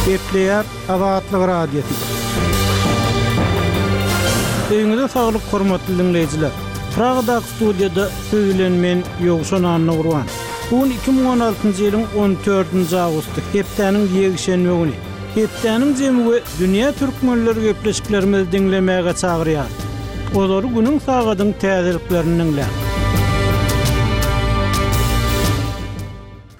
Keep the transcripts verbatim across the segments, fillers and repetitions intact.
Gepleýär Azatlyk Radiosy. Öýüňize saglyk hormatly diňleýjiler. Pragadaky studiýada siz bilen men Ýowşan Annagurban. Bu gün iki müň on altynjy ýylyň on dördünji awgusty, hepdäniň ýekşenbe güni. Hepdäniň jemi we dünýä türkmenleri gepleşiklerimizi diňlemäge çagyrýar. Olary günüň sagadyň täzeliklerini diňläň.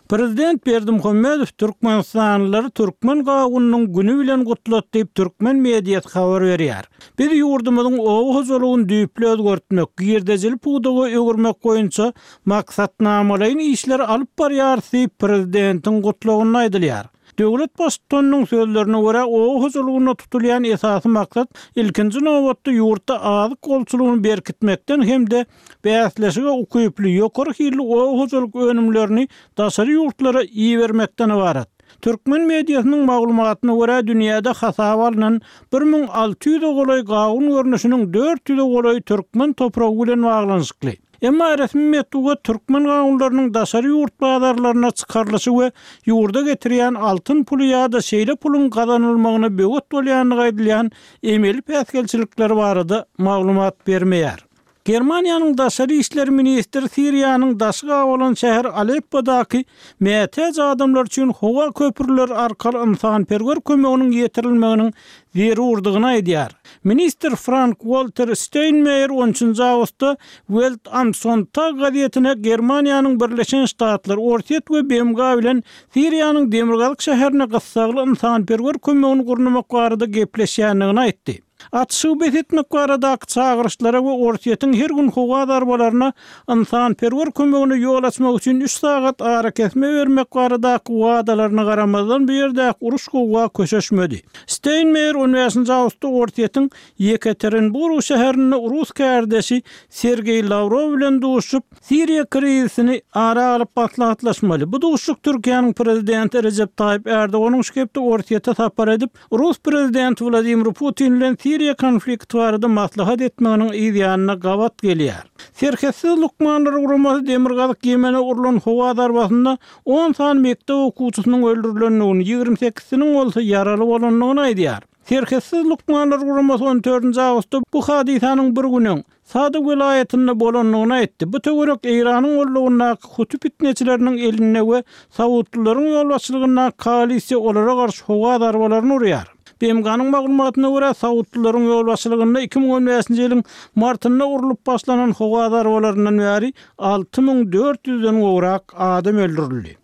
Prezident Berdimuhamedow türkmenistanlylary türkmen gawunynyň güni bilen gutlat diýip türkmen mediasy habar berýär. Biz ýurdumyzyň oba hojalygyny düýpli özgertmek, girdejili pudaga öwürmek boýunça maksatnamalaýyn işleri alyp barýarys diýip prezidentiň gutlagynda aýdylýar. Döwlet baştutanynyň sözlerine görä, oba hojalygynda tutulýan esasy maksat ilkinji nobatda ýurtda azyk bolçulygyny berkitmekden hem-de bäsleşige ukyply ýokary hilli oba hojalyk önümlerini daşary ýurtlara ibermekden ybarat. Türkmen mediasynyň maglumatyna görä, dünýäde hasaba alnan bir müň alty ýüze golaý gawun görnüşiniň dört ýüze golaý türkmen topragy bilen baglanyşykly. Emma resmi metbugat türkmen gawunlarynyň daşary ýurt bazarlaryna çykarylyşy we ýurda getirýän altyn puly ýa-da şeýle puluň gazanylmagyna böwet bolýandygy aýdylýan emeli päsgelçilikler barada maglumat bermeýär. Germaniýanyň daşary işler ministri Siriýanyň daşy gabalan şäher Aleppodaky mätäç adamlar üçin howa köprüleri arkaly ynsanperwer kömeginiň ýetirilmeginiň zerurdygyny aýdýar. Ministr Frank-Walter Steinmeier on üçünji awgustda Welt am Sonntag gazetine Germaniýanyň Birleşen Ştatlary, Orsýet we B M G bilen Siriýanyň demirgazyk şäherine gyssagly ynsanperwer kömegini gurnamak barada gepleşýändigini aýtdy. Atyşygy bes etmek baradaky çagyryşlara we Orsýetiň her gün howa zarbalaryna ynsanperwer kömegine ýol açmak üçin üç sagat arakesme bermek baradaky wadalaryna garamazdan bu ýerdäki uruş gowga köşeşmedi. Steinmeier on bäşinji awgustda Orsýetiň Ýekaterinburg şäherinde rus kärdeşi Sergeý Lawrow bilen duşup, Siriýa krizisini ara alyp maslahatlaşmaly. Bu duşuşyk Türkiýäniň prezidenti Rejep Taýyp Erdoganyň şu hepde Orsýete sapar edip, Rus prezidenti Wladimir Putin bilen Siriýa konflikti barada maslahat etmeginiň yz ýanyna gabat gelýär. Serhetsiz lukmanlar guramasy Demirgazyk Ýemene urlan howa zarbasynda on sany mekdep okuwçysynyň öldürilendigini, ýigrimi sekizsiniň bolsa ýaraly bolandygyny aýdýar. Serhetsiz lukmanlar guramasy on dördünji awgustda bu hadysanyň bir gün öň Sada welaýatynda bolandygyny aýtdy. Bu töwerek Eýranyň gollugyndaky Huti fitneçileriniň elinde we Saudlylaryň ýolbaşçylygyndaky koalisiýa olara garşy howa zarbalaryny urýar. B M G-nyň maglumatyna görä, Saudlylaryň ýolbaşçylygynda iki müň on bäşinji ýylyň martynda urlup başlanan howa zarbalaryndan bäri alty müň dört ýüzden gowrak adam öldürildi.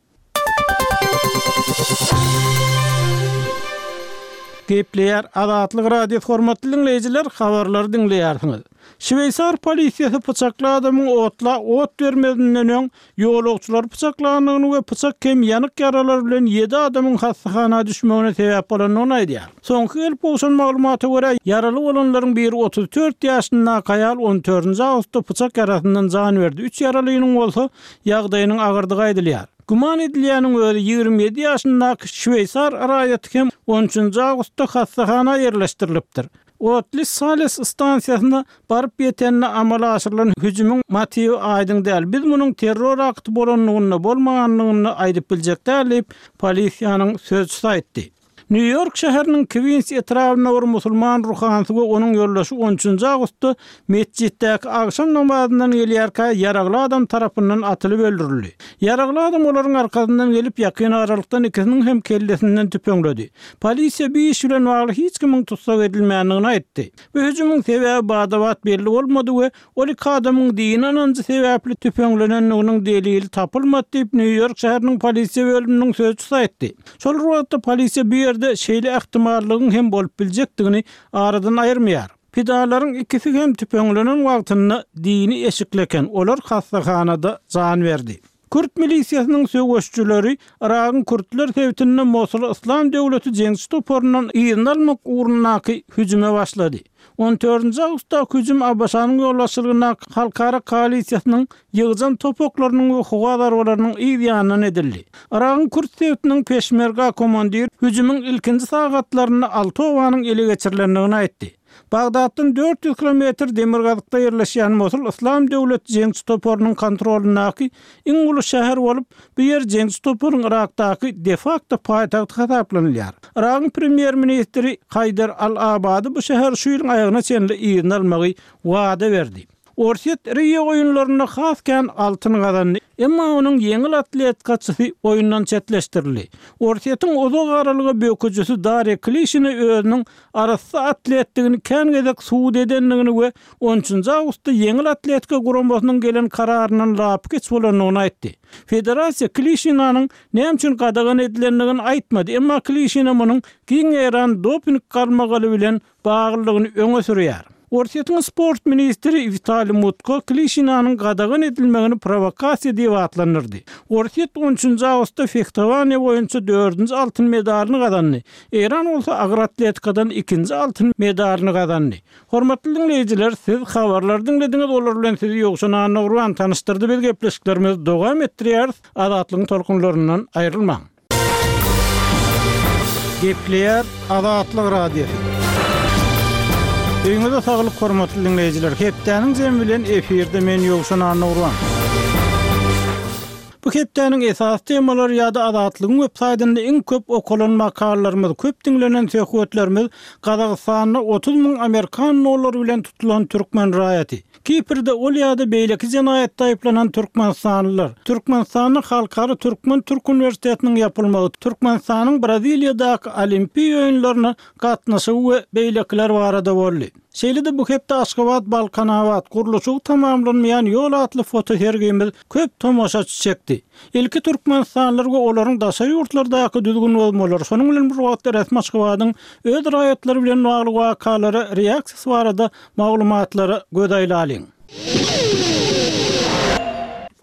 Gepleýär Azatlyk Radiosy hormatly diňleýjiler, habarlary diňleýärsiňiz. Şweýsar polisiýasy pyçakly adamyň otla ot bermezinden öň ýolagçylary pyçaklandygyny we pyçak hem ýanyk ýaralar bilen ýedi adamyň hassahana düşmegine sebäp bolandygyny aýdýar. Soňky gelip gowşan maglumata görä, ýaraly bolanlaryň biri otuz dört ýaşyndaky aýal on dördünji awgustda pyçak ýarasyndan jan berdi, üç ýaralynyň bolsa ýagdaýynyň agyrdygy aýdylýar. Güman edilýäniň özi ýigrimi ýedi ýaşyndaky şweýsar raýaty hem on üçünji awgustda hassahana ýerleşdirilipdir. Otly Sales stansiýasyna baryp ýetende amala aşyrylan hüjümiň motiwi aýdyň däl. Biz munuň terror akty bolandygynda, bolmagandygynda aýdyp biljek däl diýip, polisiýanyň sözçüsi aýtdy. Nýu-Ýork şäheriniň Kwins etrabynda bir musulman ruhanysy we onuň ýoldaşy on üçünji awgustda metjitdäki agşam namazyndan gelýärkä ýaragly adam tarapyndan atylyp öldürildi. Ýaragly adam olaryň arkasyndan gelip, ýakyn aralykdan ikisiniň hem kellesinden tüpeňledi. Polisiýa bu iş bilen bagly hiç kimiň tussag edilmändigini aýtdy. Bu hüjümiň sebäbi bada-bat belli bolmady we ol iki adamyň dini ynanjy sebäpli tüpeňlenendiginiň delili tapylmady diýip, Nýu-Ýork şäheriniň polisiýa bölüminiň sözçüsi aýtdy. Şol bir wagtda polisiýa bu ýerde şeýle ähtimallygyň hem bolup biljekdigini aradan aýyrmaýar. Pidalaryň ikisi hem tüpeňlenen wagtynda dini eşikli eken, olar hassahanada jan berdi. Kürt milisiýasynyň söweşçileri Yragyň Kürtler sebitinde Mosul Yslam döwleti jeňçi toparyndan yzyny almak ugrundaky hüjüme başlady. On dördünji awgustdaky hüjüm A B Ş-nyň ýolbaşçylygyndaky halkara koalisiýasynyň ýygjam topaklarynyň we howa zarbalarynyň yz ýanyndan edildi. Yragyň Kürt sebitiniň peşmerga komandiri hüjümiň ilkinji sagatlarynda alty obanyň ele geçirilendigini aýtdy. Bagdatdan dört ýüz kilometr demirgazykda ýerleşýän Mosul Yslam döwlet jeňçi toparynyň kontrolyndaky iň uly şäher bolup, bu ýer jeňçi toparyň Yrakdaky de-fakto paýtagty hasaplanylýar. Yragyň premýer-ministri Haýdar al-Abady bu şäheri şu ýylyň aýagyna çenli yzyna almagy wada berdi. Orsýet Rio oýunlarynda has kän altyn gazandy, emma onuň ýeňil atletikaçysy oýundan çetleşdirildi. Orsýetiň uzak aralyga böküjisi Darýa Klişina özüniň arassa atletdigini kän gezek subut edendigini we on üçünji awgustda ýeňil atletika guramasynyň gelen kararyndan lapykeç bolandygyny aýtdy. Federasiýa Klişinanyň näme üçin gadagan edilendigini aýtmady, emma Klişina munuň giň ýaýran doping galmagaly bilen baglylygyny öňe sürýär. Orsýetiň sport ministri Witaliý Mutko Klişinanyň gadagan edilmegini prowokasiýa diýip atlandyrdy. Orsýet on üçünji awgustda fehtowaniýa boýunça dördünji altyn medalyny gazandy. Eýran bolsa agyr atletikadan ikinji altyn medalyny gazandy. Hormatly diňleýjiler, siz habarlary diňlediňiz, olar bilen sizi Ýowşan Annagurban tanyşdyrdy. Biz gepleşiklerimizi dowam etdirýäris. Azatlygyň tolkunlaryndan aýrylmaň. Gepleýär Azatlyk Radiosy. Öýüňize saglyk hormatly diňleýjiler. Hepdäniň jemi bilen efirde men Ýowşan Annagurban. Bu hepdäniň esasy temalary ýa-da Azatlygyň web saýtynda iň köp okalan makalalarymyz, köp diňlenen söhbetlerimiz Gazagystanda otuz müň amerikan dollary bilen tutulan türkmen raýaty, Kiprde ol ýa-da beýleki jenaýatda aýyplanan türkmenistanlylar, Türkmenistanyň Halkara Türkmen-Türk uniwersitetiniň ýapylmagy, Türkmenistanyň Braziliýadaky Olimpiýa oýunlaryna gatnaşygy we beýlekiler barada boldy. Şeýle-de bu hepde Aşgabat-Balkanabat gurluşygy tamamlanmaýan ýol atly fotosergimiz köp tomaşaçy çekdi. Ilki türkmenistanlylar we olaryň daşary ýurtlardaky düzgün bozmalary, şonuň bilen bir wagtda resmi Aşgabadyň öz raýatlary bilen bagly wakalara reaksiýasy barada maglumatlara göz aýlalyň.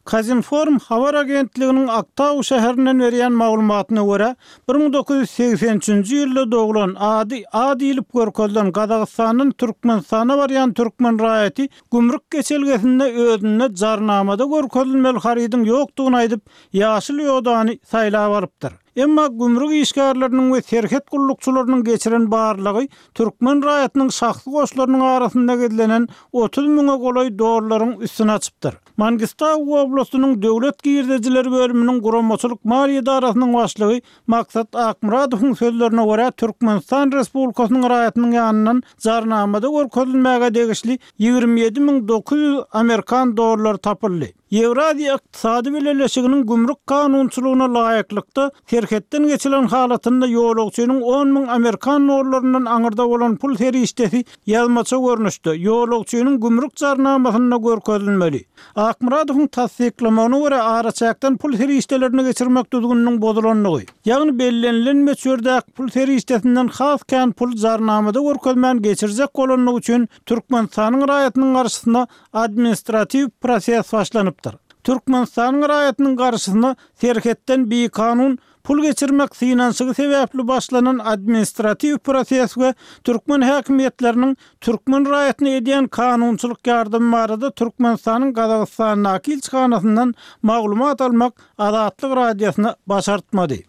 Kazinform habar agentliginiň Aktau şäherinden berýän maglumatyna görä, bir müň dokuz ýüz segsen üçünji ýylda doglan, ady A diýlip görkezilen Gazagystandan Türkmenistana barýan türkmen raýaty gümrük geçelgesinde özünde jarnamada görkezilmeli harydyň ýokdugyny aýdyp, ýaşyl ýodany saýlap alypdyr. Emma gümrük işgärleriniň we serhet gullukçylarynyň geçiren barlygy türkmen raýatynyň şahsy goşlarynyň arasynda gizlenen otuz müňe golaý dollaryň üstüni açypdyr. Mangistau oblastynyň döwlet girdejileri bölüminiň guramaçylyk maliýe edarasynyň başlygy Maksat Akmyradowyň sözlerine görä, Türkmenistan Respublikasynyň raýatynyň ýanyndan jarnamada görkezilmäge degişli ýigrimi ýedi müň dokuz ýüz amerikan dollary tapyldy. Ýewraziýa Ykdysady Bileleşiginiň gümrük kanunçylygyna laýyklykda serhetden geçilen halatynda ýolagçynyň on müň amerikan dollaryndan aňyrda bolan pul serişdesi ýazmaça görnüşde ýolagçynyň gümrük jarnamasynda görkezilmeli. Akmyradowyň tassyklamagyna görä, araçäkden pul serişdelerini geçirmek düzgüniniň bozulandygy, ýagny bellenilen möçberdäki pul serişdesinden has kän pul jarnamada görkezmän geçirjek bolandygy üçin Türkmenistanyň raýatynyň garşysyna administratiw proses başlanypdyr. Türkmenistanyň raýatynyň garşysyna serhetden bikanun pul geçirmek synanyşygy sebäpli başlanan administratiw proses we türkmen häkimiýetleriniň türkmen raýatyna edýän kanunçylyk ýardamy barada Türkmenistanyň Gazagystandaky ilçihanasyndan maglumat almak Azatlyk Radiosyna başartmady.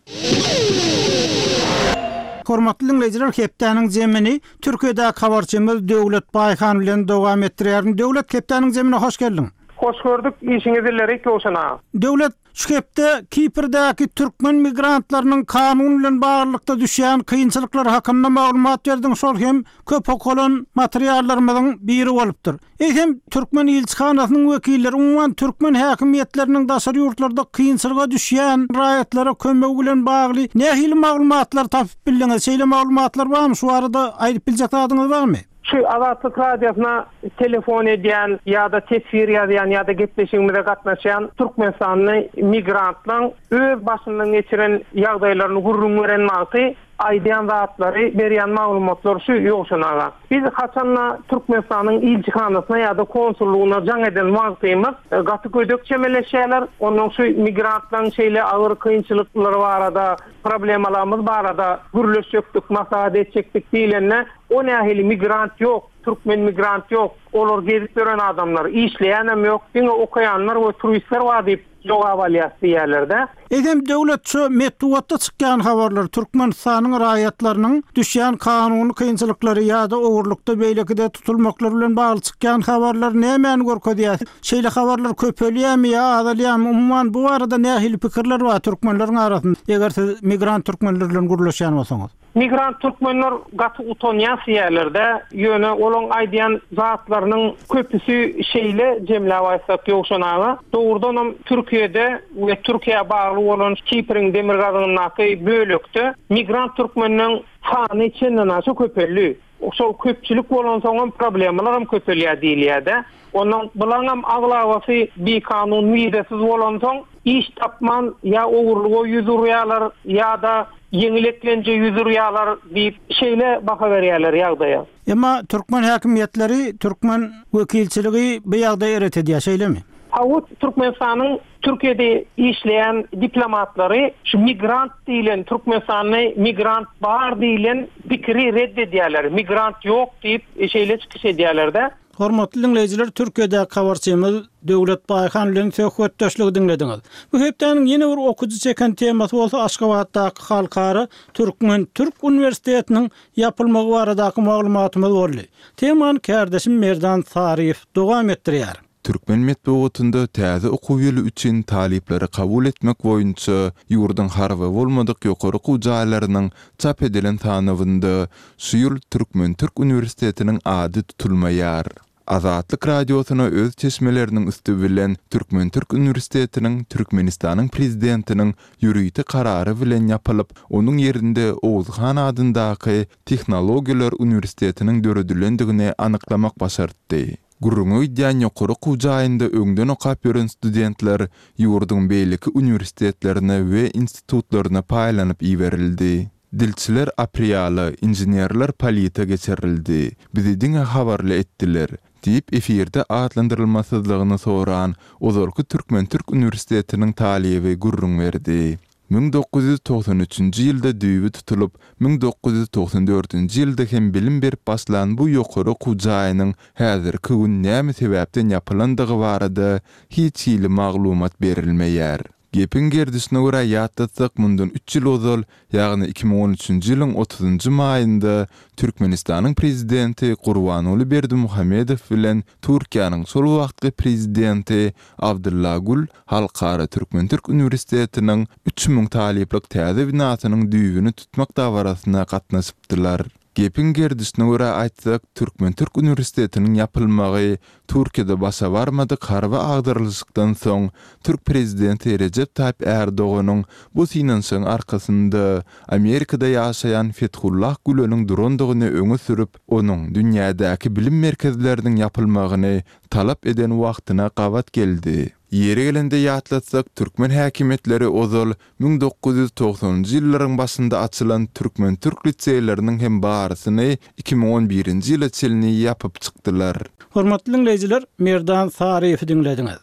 Hormatly dinleýjiler, hepdäniň jemini Türkiýedäki habarçymyz Döwlet Baýhan bilen dowam etdirýärin. Döwlet, hepdäniň jemine hoş geldiň. Hoş gördük, işiňiz ileri Ýowşan aga. Döwlet, şu hepde Kiprdäki türkmen migrantlarynyň kanun bilen baglylykda düşýän kynçylyklary hakynda maglumat berdiň, şol hem köp okalan materiallarymyzyň biri bolupdyr. Eýsem, türkmen ilçihanasynyň wekilleri, umuman türkmen häkimiýetleriniň daşary ýurtlarda kynçylyga düşýän raýatlara kömegi bilen bagly nähili maglumatlar tapyp bildiňiz? Şeýle maglumatlar barmy? Şu barada aýdyp biljek zadyňyz barmy? Şu Azatlyk Radiosyna telefon edýän ýa-da teswir ýazýan ýa-da gepleşigimize gatnaşýan Türkmenistanly migrantlaryň öz başyndan geçiren ýagdaýlaryny gürrüň beren wagty aýdýan zatlary, berýän maglumatlar şu Ýowşan aga. Biz haçanda Türkmenistanyň ilçihanasyna ýa-da konsullygyna jaň eden wagtymyz gaty gödek çemeleşýärler. Ondan şu migrantlaryň şeýle agyr kynçylyklary barada, problemalarymyz barada gürleşjekdik, maslahat etjekdik diýlende, o nähili migrant ýok, Türkmen migrant ýok, olar gezip ýören adamlar, işleýänem ýok, diňe okaýanlar we turistler bar diýip jogap alýas diýýärler-de. Eýsem döwlet şu metbugatda çykýan habarlar Türkmenistanyň raýatlarynyň düşýän kanuny kynçylyklary ýa-da ogurlykda beýlekide tutulmaklary bilen bagly çykýan habarlar nämäni görkezýär? Şeýle habarlar köpelýärmi ýa azalýarmy? Umuman bu barada nähili pikirler bar türkmenleriň arasynda? Eger siz migrant türkmenler bilen gürleşýän bolsaňyz. Migrant türkmenler gaty utanýan diýýärler-de, ýöne olaň aýdýan zatlarynyň köpüsi şeýle jemläp aýtsak Ýowşan aga, dogrudanam Türkiýede we Türkiýä bagly bolan Kipriň demirgazygyndaky bölekde migrant türkmenleň sany çenden aşa köpeldi. Şol köpçülik bolansoňam problemalar hem köpelýär diýilýär-de. Ondan bulaňam aglabasy bikanun wizesiz bolansoň iş tapman ýa ogurlyga ýüz urýarlar ýa-da ýeňil eklenje ýüz urýarlar diýip şeýle baha berýärler ýagdaýa. Emma türkmen häkimiýetleri, türkmen wekilçiligi bu ýagdaýy ret edýär, şeýlemi? Hawa, Türkmenistanyň Türkiýede işleýän diplomatlary şu migrant diýilen Türkmenistanda migrant bar diýilen pikiri red edýärler. Migrant ýok diýip şeýle çykyş edýärler-de. Hormatly dinleýjiler, Türkiýede habarçymyz Döwlet Baýhan bilen söhbetdeşligi diňlediňiz. Bu hepdäniň ýene bir okujy çeken temasy bolsa Aşgabatdaky Halkara Türkmen-Türk Uniwersitetiniň ýapylmagy baradaky maglumatymyz boldy. Temany kärdeşim Merdan Saryýew dowam etdirýär. Türkmen metbugatynda täze okuw ýyly üçin talyplary kabul etmek boýunça ýurduň harby bolmadyk ýokary okuw jaýlarynyň çap edilen sanawynda şu ýyl Türkmen-Türk Uniwersitetiniň ady tutulmaýar. Azatlyk radiosyna öz çeşmeleriniň üsti bilen Türkmen-Türk Uniwersitetiniň Türkmenistanyň prezidentiniň ýörite karary bilen ýapylyp, onuň ýerinde Oguzhan adyndaky Tehnologiýalar uniwersitetiniň döredilendigini anyklamak başartdy. Gürrüňe gidýän ýokary okuw jaýynda öňden okap ýören studentler ýurduň beýleki uniwersitetlerine we institutlaryna paýlanyp iberildi. Dilçiler Apriala, inženerler Polita geçirildi. Bizi diňe habarly etdiler diýip efirde atlandyrylmasyzlygyny soran ozalky Türkmen-Türk Uniwersitetiniň talyby gürrüň berdi. müň dokuz ýüz togsan üçünji ýylda düýbi tutulyp, müň dokuz ýüz togsan dördünji ýylda hem bilim berip başlan bu ýokary okuw jaýynyň häzirki gün näme sebäpden ýapylandygy barada hiç hili maglumat berilmeýär. Gepiň gerdişine görä ýatlatsak, mundan üç ýyl ozal, ýagny iki müň on üçünji ýylyň otuzynjy maýynda Türkmenistanyň prezidenti Gurbanguly Berdimuhamedow bilen Türkiýäniň şol wagtky prezidenti Abdylla Gül Halkara Türkmen-Türk Uniwersitetiniň üç müň talyplyk täze binasynyň düýbüni tutmak dabarasyna gatnaşypdylar. Gepiň gerdişine görä aýtsak, Türkmen-Türk Uniwersitetiniň ýapylmagy Türkiýede başa barmadyk harby agdarylyşykdan soň Türk prezidenti Rejep Taýyp Erdoganyň bu synanyşygyň arkasynda Amerikada ýaşaýan Fethullah Güleniň durandygyny öňe sürüp, onuň dünýädäki bilim merkezleriniň ýapylmagyny talap eden wagtyna gabat geldi. Ýeri gelende ýatlatsak, türkmen häkimiýetleri ozal müň dokuz ýüz togsanynjy ýyllaryň başynda açylan Türkmen-Türk liseýleriniň hem barysyny iki müň on birinji ýyla çenli ýapyp çykdylar. Hormatly dinleýjiler, Merdan Saryýewi diňlediňiz.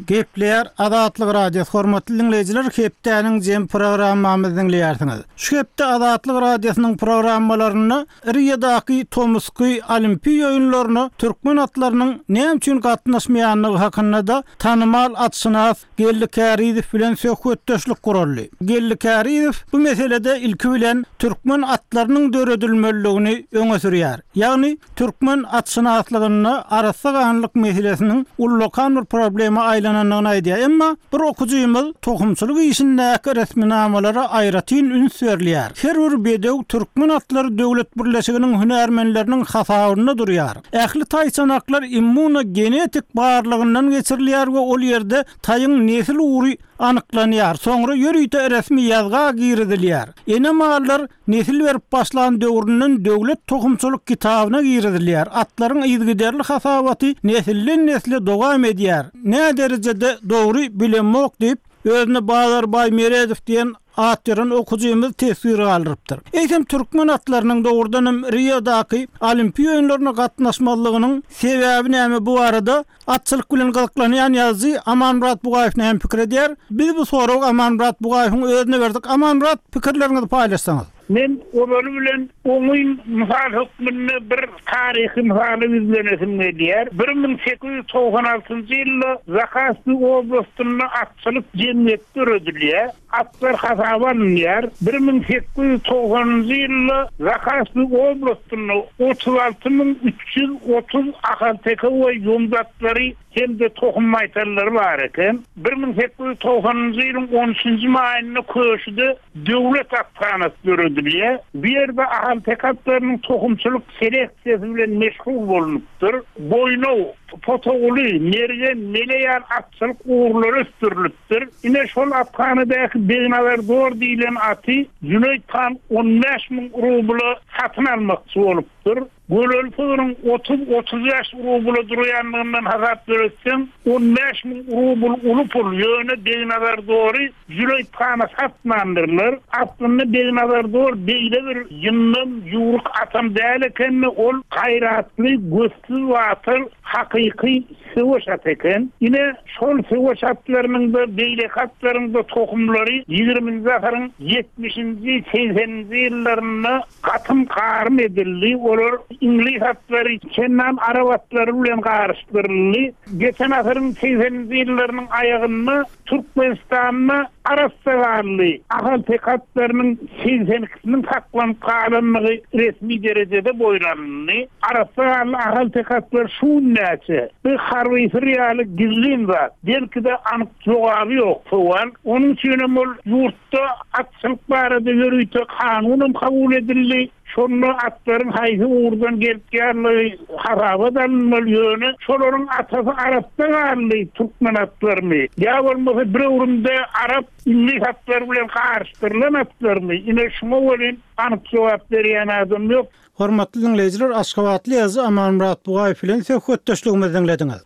Gepleýär Azatlyk Radiosy. Hormatly dinleýjiler, hepdäniň jem programmamyzy diňleýärsiňiz. Şu hepde Azatlyk Radiosynyň programmalarynda Riýadaky Tomusky Olimpiýa oýunlaryna türkmen atlarynyň näme üçin gatnaşmaýandygy hakynda da tanymal atşynas Geldi Kärizow bilen söhbetdeşlik guraldy. Geldi Kärizow bu meselede ilki bilen türkmen atlarynyň döredilmeliligini öňe sürýär. Ýagny türkmen atşynaslygynda arassa ganlyk meselesiniň ullakan bir problema aýlanandygyny aýdýar. Emma bir okujymyz tohumçylyk işindäki resminamalara aýratyn üns berilýär. Her bir bedew türkmen atlary döwlet birleşiginiň hünärmenleriniň hasabynda durýar. Ähli taýçanaklar immunogenetik barlygyndan geçirilýär we ol ýerde taýyň nesil ugry anyklanýar. Soňra ýörite resmi ýazga girizilýär. Ene mallar nesil berip başlan döwründen döwlet tohumçylyk kitabyna girizilýär. Atlaryň yzygiderli hasabaty nesilden nesle dowam edýär. Näme derejede dogry bilemok diýip, özüne Bazarbaý Meredow diýen at ýeren okujymyz teswir galdyrypdyr. Eýsem türkmen atlarynyň dogrudan hem Riodaky Olimpiýa oýunlaryna gatnaşmazlygynyň sebäbi näme bu barada atçylyk bilen gyzyklanýan ýazyjy Amanmyrat Bugaýew näme pikir edýär? Biz bu soragy Amanmyrat Bugaýewiň özüne berdik. Amanmyrat, pikirleriňizi paýlaşsaňyz. Men ozaly bilen oňyn mysal hökmünde bir taryhy mysaly ýüzlenesim gelýär. Bir müň sekiz ýüz togsan altynjy ýylda Zakaspi oblastynda atçylyk jemgyýeti döredilýär. Atlar hasaba alynýar. Bir müň sekiz ýüz togsanynjy ýylda Zakaspi oblastynda otuz alty müň üç ýüz otuz ahalteke we ýomut atlary hem-de tohum maýtallary bar eken. Bir müň sekiz ýüz togsanynjy ýylyň on üçünji maýynda Köşüde döwlet athanasy döredilýär. Bu ýerde ahalteke atlarynyň tohumçylyk seleksiýasy bilen meşgul bolunupdyr. Boýnaw, Potoguly, Mergen, Mele ýaly atçylyk ugurlary ösdürilipdir. Ine şol athanadaky Begnazar Dor diýlen aty Jüneýt han on bäş müň rubla satyn almakçy bolupdyr. Göleli sygyryň otuz-otuz bäş rubla durýandygyndan hasap döretseň, on bäş müň rubl uly pul, ýöne Begnazar Dory Jüneýt hana satmandyrlar. Aslynda Begnazar Dor beýle bir ýyndam, ýüwrük atam däl eken, ol gaýratly, gözsüz batyr, hakyky söweş aty eken. Ine şol söweş atlarynyň-da, beýleki atlaryň-da tohumlary ýigriminji asyryň ýetmişinji, segseninji ýyllarynda gatym garym edildi. Olar iňlis atlary, çendan arap atlary bilen garyşdyryldy. Geçen asyryň segseninji ýyllarynyň aýagynda Türkmenistanda arassa ganly ahalteke atlarynyň segsen ikisiniň saklanyp galandygy resmi derejede boýun alyndy. Arassa ganly ahalteke atlar şu gün näçe? Bu harby syr ýaly gizlin zat. Belki-de anyk jogaby ýok sowal. Onuň üçin hem ol ýurtda atçylyk barada ýörite kanun hem kabul edildi. Şonda atlaryň haýsy ugurdan gelip gelýänligi hasaba alynmaly, ýöne şolaryň atasy arassa ganly türkmen atlarymy ýa bolmasa bir öwrümde arap iňlis atlary bilen garyşdyrylan atlarymy? Ine şuňa welin anyk jogap berýän adam ýok. Hormatly dinleýjiler, Aşgabatly ýazyjy Amanmyrat Bugaýew bilen söhbetdeşligimizi diňlediňiz.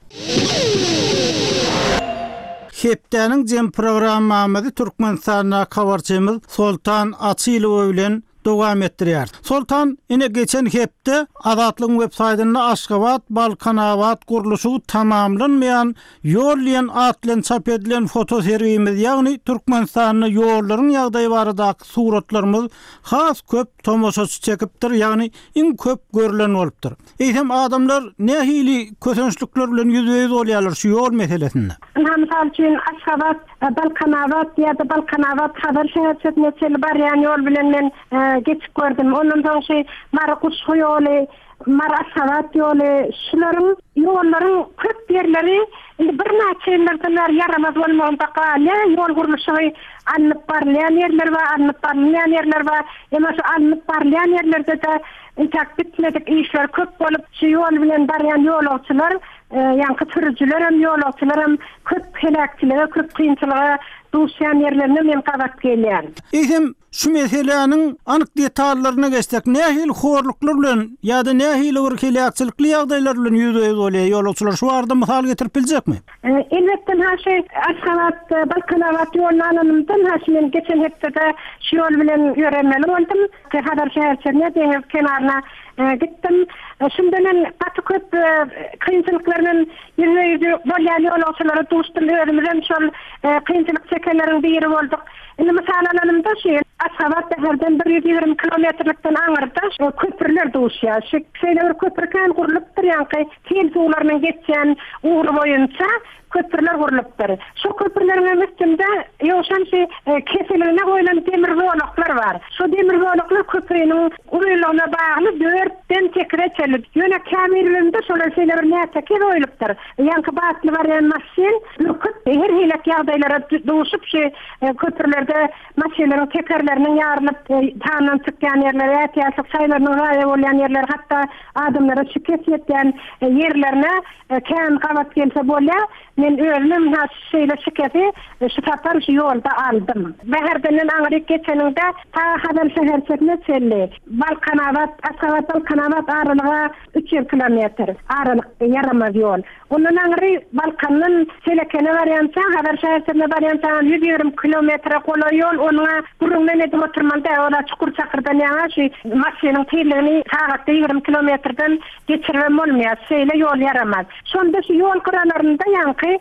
Hepdäniň jem programmamyzy Türkmenistandaky habarçymyz Soltan Açylowa bilen dowam etdirýär. Soltan, ine geçen hepde Azatlygyň web saýtynda Aşgabat Balkanabat gurluşygy tamamlanmaýan ýol diýen at bilen çap edilen foto sergimiz, ýagny Türkmenistanda ýollaryň ýagdaýy baradaky suratlarymyz has köp tomaşaçy çekipdir, ýagny iň köp görülen bolupdyr. Eýsem adamlar nähili kösençlikler bilen ýüzbe-ýüz bolýarlar şu ýol meselesinde? Ynha, mysal üçin Aşgabat Balkanabat ýa-da Balkanabat Hazar şäherçesine çenli barýan ýol bilen men, e, geçip gördüm. Ondan soň şu Mary Guşgy ýoly, Mary Aşgabat ýoly, şularyň ýollaryň köp ýerleri indi birnäçe ýyllardan bäri ýaramaz bolmagynda galýar. Ýol gurluşygy alnyp barylýan ýerler bar, alnyp barylmaýan ýerler bar. Emma şu alnyp barylýan ýerlerde-de intäk bitmedik işler köp bolup, şu ýol bilen barýan ýolagçylar, e, ýaňky sürüjiler hem, ýolagçylar hem köp heläkçilige, köp kynçylyga duşýan ýerlerine men gabat gelýän. Eýsem şu meseläniň anyk detallaryna geçsek, nähili horluklar bilen ýa-da nähili bir heläkçilikli ýagdaýlar bilen ýüzbe-ýüz bolýar ýolagçylar? Şu barada mysal getirip biljekmi? E, elbetde, ha şu Aşgabat, e, Balkanabat ýoluny alanymdan, ha şu men geçen hepdede şu ýol bilen ýöremeli boldum. Hazar şäherçesine, deňiz kenaryna, e, gitdim. E, şunda men gaty köp, e, kynçylyklar bilen ýüzbe-ýüz bolýan ýolagçylara duşdum. Özümizem şol, e, kynçylyk çekenleriň biri bolduk. Indi mysal alanymda şu Aşgabat şäherden bir ýüz ýigrimi kilometrlikden aňyrda şu köprüler duşýar. Şu şeýle bir köprü kän gurlupdyr, ýaňky tel suwlarynyň geçýän ugry boýunça köprüler gurlupdyr. Şu köprüleriň hem üstünde ýowşan şu, e, keseligine goýlan demir zolaklar bar. Şu demir zolaklar köprüniň uzynlygyna bagly dörtden sekize çenli. Ýöne käbirlerinde şolar şeýle bir nätekez goýlupdyr. Ýaňky batly barýan maşyn ürküp her hili ýagdaýlara duşup şu, e, köprülerde maşynlaryň tekerleriniň ýarylyp, e, tandan çykýan ýerler, ätiýaçlyk şaýlarynyň zaýa bolýan ýerler, hatda adamlara şikes ýetýän, e, ýerlerine, e, kän gabat gelse bolýar. Men özüm ha şeýle şikesi, e, şu sapar şu ýolda aldym. Bäherdenden aňryk geçeninde ta Hazar şäherçesine çenli Balkanabat, Aşgabat Balkanabat aralyga üç ýüz kilometr aralyk ýaramaz ýol. Ondan aňry Balkandan Çelekene barýança, Hazar şäherçesine barýança ýüz ýigrimi kilometre golaý ýol, onuňa gürrüňden edip oturmaly däl. Ola çukur çakyrdan ýaňa şu maşynyň tizligini sagatda ýigrimi kilometrden geçiribem bolmaýar. Şeýle ýol ýaramaz. Şonda şu ýol gyralarynda ýaňky ugrundaky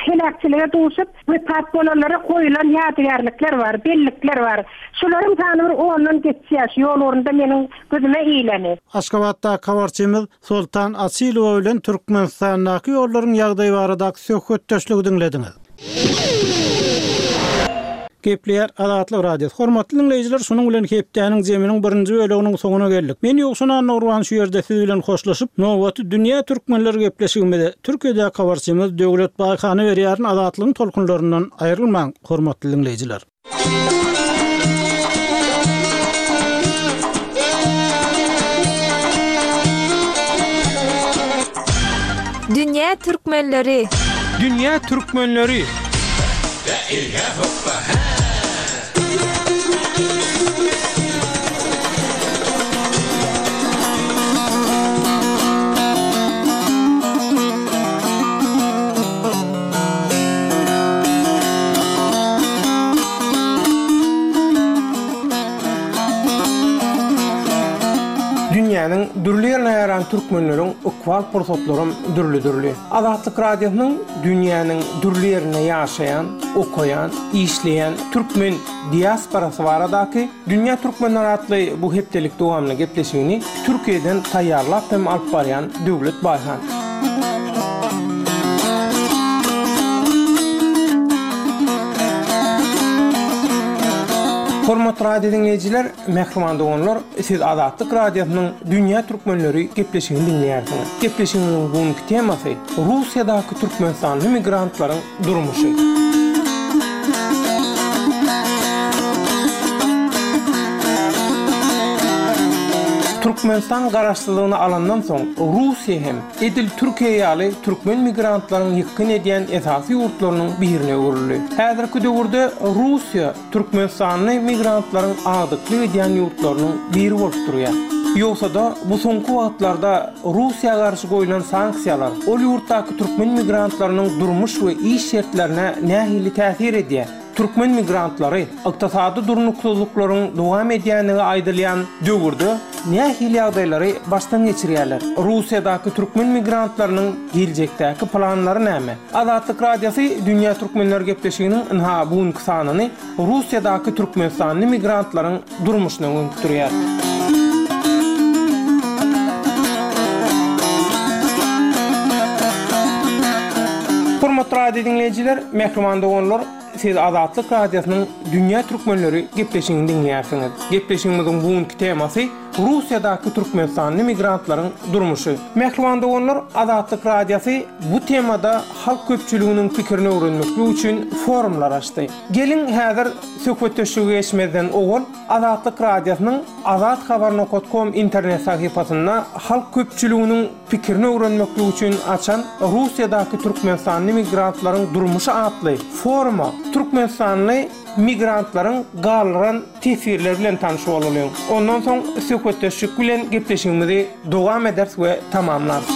heläkçilige duşup wepat bolanlara goýulan ýadygärlikler bar, bellikler bar. Şularyň sany bir ondan geçýär. Şu ýol ugrunda meniň gözüme iýleni. Aşgabatda habarçymyz Sultan Asilowa bilen Türkmenistandaky ýollaryň ýagdaýy barada söhbetdeşlik diňlediňiz. Gepleýär Azatlyk Radiosy. Hormatly dinleýjiler, şunuň bilen hepdäniň zeminiň birinji bölüminiň soňuna geldik. Men Ýowşan Annagurban şu ýerde siz bilen hoşlaşyp, nowaty dünýä türkmenler gepleşigimize Türkiýede habarçymyz Döwlet Baýhany berýärin Azatlygyň tolkunlaryndan aýrylmaň, hormatly dinleýjiler. Dünýä türkmenleri. Dünýä türkmenleri. Dünýäniň dürli ýerine ýaran türkmenleriň ykbal pursatlaram dürli-dürli. Azatlyk Radiosynyň dünýäniň dürli ýerine ýaşaýan, okaýan, işleýän türkmen diasporasy baradaky Dünýä Türkmenler atly bu hepdelik dowamly gepleşigini Türkiýeden taýýarlap hem alyp barýan Döwlet Baýhan. Hormatly radio dinleýjiler, mähriban doganlar, siz Azatlyk Radiosynyň Dünýä Türkmenleri gepleşigini dinleýärsiňiz. Gepleşigimiziň bugünkü temasy Russiýadaky Türkmenistanly migrantlaryň durmuşy. Türkmenistan garaşsyzlygyny alandan soň Russiýa hem edil Türkiýe ýaly türkmen migrantlaryň ýykgyn edýän esasy ýurtlarynyň birine öwrüldi. Häzirki döwürde Russiýa Türkmenistanly migrantlaryň agdyklyk edýän ýurtlarynyň biri bolup durýar. Ýogsa-da bu soňky wagtlarda Russiýa garşy goýulan sanksiýalar ol ýurtdaky türkmen migrantlarynyň durmuş we iş şertlerine nähili täsir edýär? Türkmen migrantlary ykdysady durnuksyzlyklaryň dowam edýänligi aýdylýan döwürde nähili ýagdaýlary başdan geçirýärler? Russiýadaky türkmen migrantlarynyň geljekdäki planlary näme? Azatlyk Radiosy Dünýä Türkmenler gepleşiginiň ynha bugünkü sanyny Russiýadaky Türkmenistanly migrantlaryň durmuşyna gönükdirýär. Hormatly radio dinleýjiler, mähriban doganlar, siz Azatlyk Radiosynyň Dünýä Türkmenleri gepleşigini dinleýärsiňiz. Gepleşigimiziň bugünkü temasy Russiýadaky Türkmenistanly migrantlaryň durmuşy. Mähriban doganlar, Azatlyk Radiosy bu temada halk köpçüliginiň pikirini öwrenmek üçin forumlar açdy. Gelin häzir söhbetdeşlige geçmezden owal Azatlyk Radiosynyň azathabar nokta com internet sahypasynda halk köpçüliginiň pikirini öwrenmek üçin açan Russiýadaky Türkmenistanly migrantlaryň durmuşy atly foruma Türkmenistanly migrantlaryň galdyran teswirleri bilen tanyş bolalyň. Ondan soň söhbetdeşlik bilen gepleşigimizi dowam ederis we tamamlarys.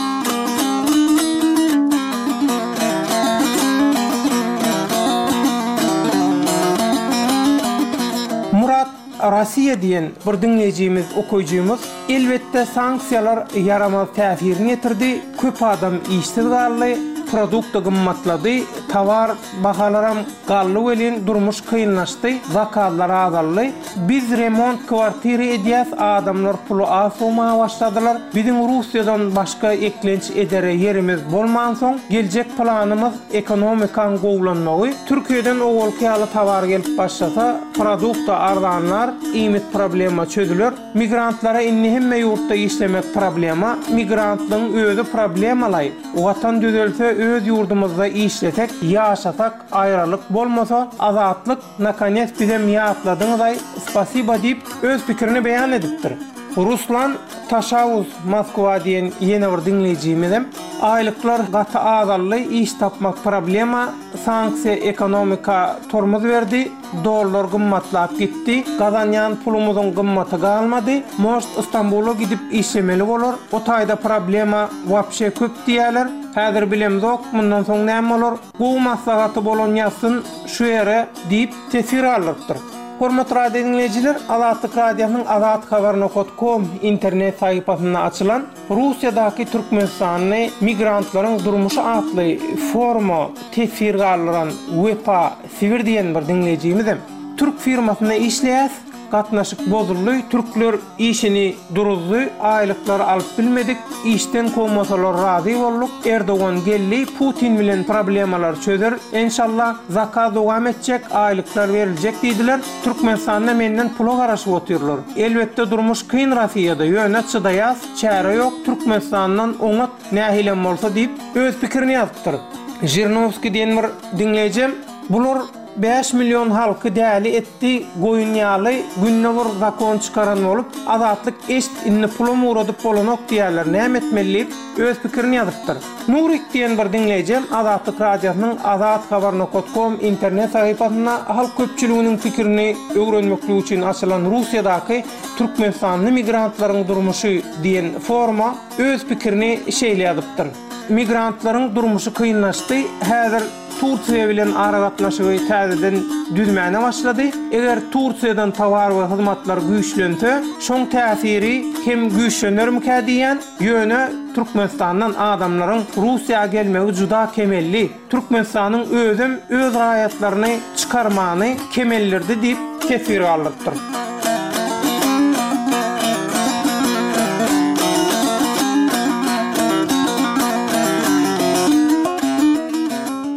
Murat Russiýa diýen bir dinleýjimiz, okuyjymyz elbetde sanksiýalar ýaramaz täsirini ýetirdi. Köp adam işsiz galdy, produkty gymmatlady, towar bahalaram galdy welin durmuş kynlaşdy, zakazlar azaldy. Biz remont kwartiri edýäs, adamlar puly az sowmaga başladylar. Biziň Russiýadan başga eklenç edere ýerimiz bolmansoň, geljek planymyz ekonomikanyň gowlanmagy. Türkiýeden owalky ýaly towar gelip başlasa, produkta arzanlar, iýmit problema çözüler. Migrantlara indi hemme ýurtda işlemek problema, migrantlaryň özi problemalaý. Watan düzelse öz ýurdumyzda işlesek, ýaşasak, aýralyk bolmasa, azatlyk nakonec bizem ýatladyňyz-aý, spasiba diýip öz pikirini beýan edipdir. Ruslan Taşawuz Moskwa diýen ýene bir dinleýjimizem aýlyklar gaty azaldy, iş tapmak problema, sanksiýa ekonomika tormuz berdi, dollar gymmatlap gitdi, gazanýan pulumyzyň gymmaty galmady, most İstanbula gidip işlemeli bolar, o taýda problema wapşe köp diýerler. Häzir bilemzok, mundan soň näme bolar? Gowy maslahaty bolan ýazsyn şu ýere diýip teswir aldyrypdyr. Hormatly radio dinleýjiler, Azatlyk Radiosynyň azathabar nokta com internet sahypasynda açylan Russiýadaky Türkmenistanly migrantlaryň durmuşy atly foruma teswir galdyran Wepa Sibir diýen bir dinleýjimizem Türk firmasynda işleýär. Gatnaşyk bozuldy, türkler işini duruzdy, aýlyklary alyp bilmedik, işden kowmasalar razy bolduk, Erdogan geldi, Putin bilen problemalar çözer, enşallah zakaz dowam etjek, aýlyklar beriljek diýdiler. Türkmenistanda menden pula garaşyp otyrlar. Elbetde durmuş kyn Russiýada, ýöne çydaýas, çäre ýok, Türkmenistandan oňat nähilem bolsa diýip öz pikirini ýazypdyr. Žirinovskiý diýen bir dinleýjim, bular bäş million halky däli etdi, goýun ýaly günde bir zakon çykaran bolup, azatlyk eşit indi pula uğradyp bolanok diýerler, näme etmeli diýip öz pikirini ýazypdyr. Nurik diýen bir dinleýjim Azatlyk Radiosynyň azathabar nokta com internet sahypasynda halk köpçüliginiň pikirini öwrenmeklik üçin açylan Russiýadaky Türkmenistanly migrantlaryň durmuşy diýen foruma öz pikirini şeýle ýazypdyr. Migrantlaryň durmuşy kynlaşdy, häzir Türkiýe bilen aragatnaşygy täzeden düzmäne başlady. Eger Türkiýeden towar we hyzmatlar güýçlense, şoň täsiri hem güýçlenermikä diýen, ýöne Türkmenistandan adamlaryň Russiýa gelmegi juda kemelli. Türkmenistanyň özem öz raýatlaryny çykarmany kemeldirdi diýip teswir galdyrypdyr.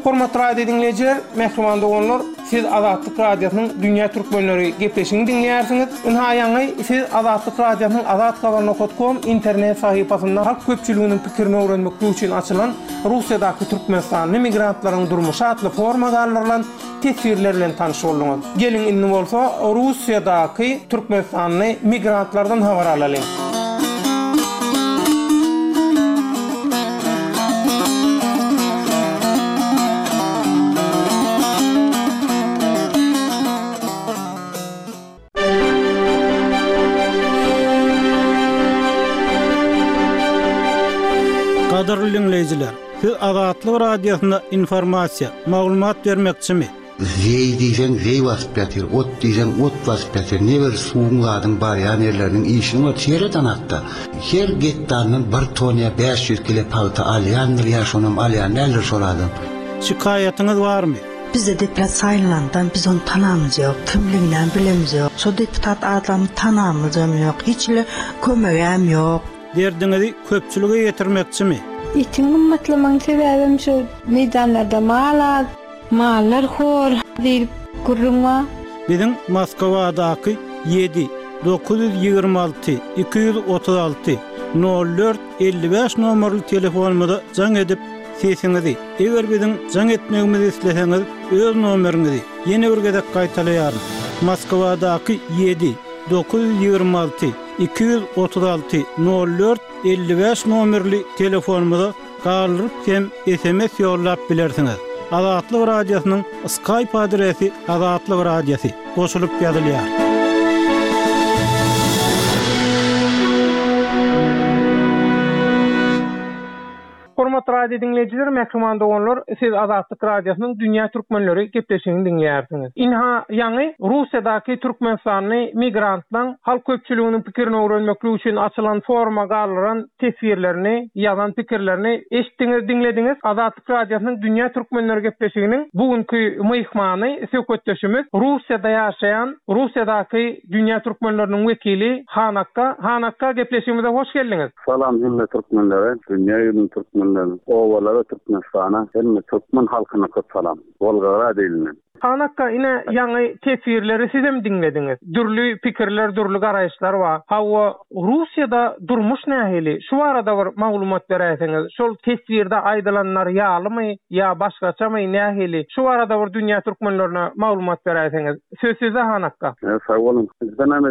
Hormatly radio dinleýjiler, mähriban doganlar, siz Azatlyk Radiosynyň Dünýä Türkmenleri gepleşigini diňleýärsiňiz. Ynha ýaňy siz Azatlyk Radiosynyň azathabar nokta com internet sahypasynda halk köpçüliginiň pikirini öwrenmeklik üçin açylan Russiýadaky Türkmenistanly migrantlaryň durmuşy atly foruma galdyrylan teswirler bilen tanyş bolduňyz. Geliň indi bolsa Russiýadaky Türkmenistanly migrantlardan habar alalyň. Gadyrly dinleýjiler, siz Azatlyk Radiosyna informasiýa, maglumat bermekçimi? Zeý diýseň zeý basyp ýatyr, ot diýseň ot basyp ýatyr. Ne bir suwuň zadyň barýan ýerleriniň işini bar, sereden hatda. Her gektardan bir ton ýa bäş ýüz kilo pagta alýandyr ýa şonam alýan däldir şol adam. Şikaýatyňyz barmy? Bizde deputat saýlandan biz onu tanamyz ýok, kimliginden bilemiz ýok. Şo deputat adamy tanamyz hem ýok, hiç ile kömegem ýok. Derdiňizi köpçülige ýetirmekçimi? Etiň gymmatlamagyň sebäbim şu meýdanlarda mal az, mallar hor diýip gürrüň bar. Biziň Moskwadaky ýedi dokuz ýüz ýigrimi alty iki ýüz otuz alty nol dört elli bäş nomerli telefonumyza jaň edip sesiňizi, eger biziň jaň etmegimizi isleseňiz öz nomeriňizi ýene bir gezek gaýtalaýaryn. Moskwadaky ýedi dokuz ýüz ýigrimi alty iki ýüz otuz alty nol dört elli bäş nomerli telefonumyza galdyryp hem S M S ýollap bilersiňiz. Azatlyk Radiosynyň Skype adresi Azatlyk Radiosy goşulyp ýazylýar. Hormatly radio dinleýjiler, mähriban doganlar, siz Azatlyk Radiosynyň Dünýä Türkmenleri gepleşigini diňleýärsiňiz. Inha ýaňy Russiýadaky Türkmenistanly migrantlaryň halk köpçüliginiň pikirini öwrenmeklik üçin açylan foruma galdyran teswirlerini, ýazan pikirlerini eşitdiňiz, diňlediňiz. Azatlyk Radiosynyň Dünýä Türkmenleri gepleşiginiň bugünkü myhmany söhbetdeşimiz Russiýada ýaşaýan Russiýadaky Dünýä Türkmenleriniň wekili Han Akka. Han Akka, gepleşigimize hoş geldiňiz. Salam hemme türkmenlere, dünýä ýüzüniň türkmenlerine, owalara Türkmenistana, hemme türkmen halkyna köp salam. Wolgograd ilinden. Han Akka, ine ýaňy teswirleri sizem diňlediňiz. Dürli pikirler, dürli garaýyşlar bar. Hawa, Russiýada durmuş nähili? Şu barada bir maglumat beräýseňiz. Şol teswirde aýdylanlar ýalymy ýa başgaçamy nähili? Şu barada bir dünýä türkmenlerine maglumat beräýseňiz. Söz sizde Han Akka. Evet, sag bolun. Bizden hem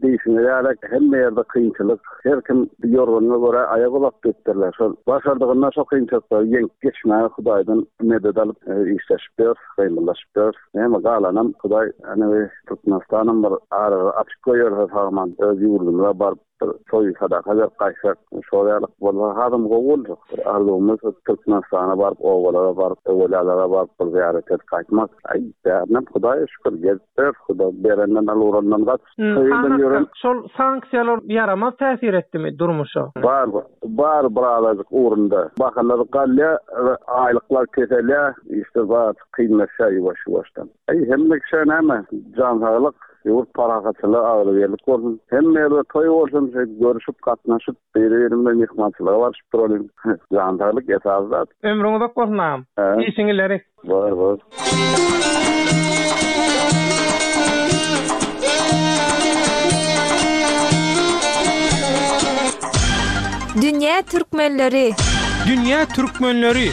diýişiňe ýaly hemme ýerde kynçylyk, her kim ýorganyna görä aýak uzak diýipdirler. Şol başardygynda şo kynçylyklary ýeňip geçmäge Hudaýdan medet alyp, e, işleşip ýör, gymyllaşyp ýör. Näme galanam Hudaý, ýani Türkmenistanam bir aragy açyk goýarsa sagman öz ýurdumyza baryp bir toý sadaka berip gaýtsak, şol ýalyk bolsa hasam gowy boljak. Bir arzuwymyz Türkmenistana baryp, obalara baryp, öwelälere baryp bir zyýarat edip gaýtmak. Aý, bärinem Hudaýa şükür gezip ýörüs, Hudaý berenden al, urandan gaç. Şol ýören. Şol sanksiýalar ýaramaz täsir etdimi durmuşa? Bar, bar birazajyk ugrunda. Bahalar galýar, aýlyklar keselýär, işler bar kynlaşýar ýuwaş-ýuwaşdan. Aý, hemme kişä näme, jan saglyk, ýurt parahatçylygy, agzybirlik bolsun. Hemme ýerde toý bolsun, şeýdip görüşip, gatnaşyp, biri-biri bilen myhmançylyga baryşyp duralyň. Jan saglyk esasy zat. Ömrüň uzak bolsun agam. Işiň ileri. Bar, bar. Dünýä türkmenleri. Dünýä türkmenleri.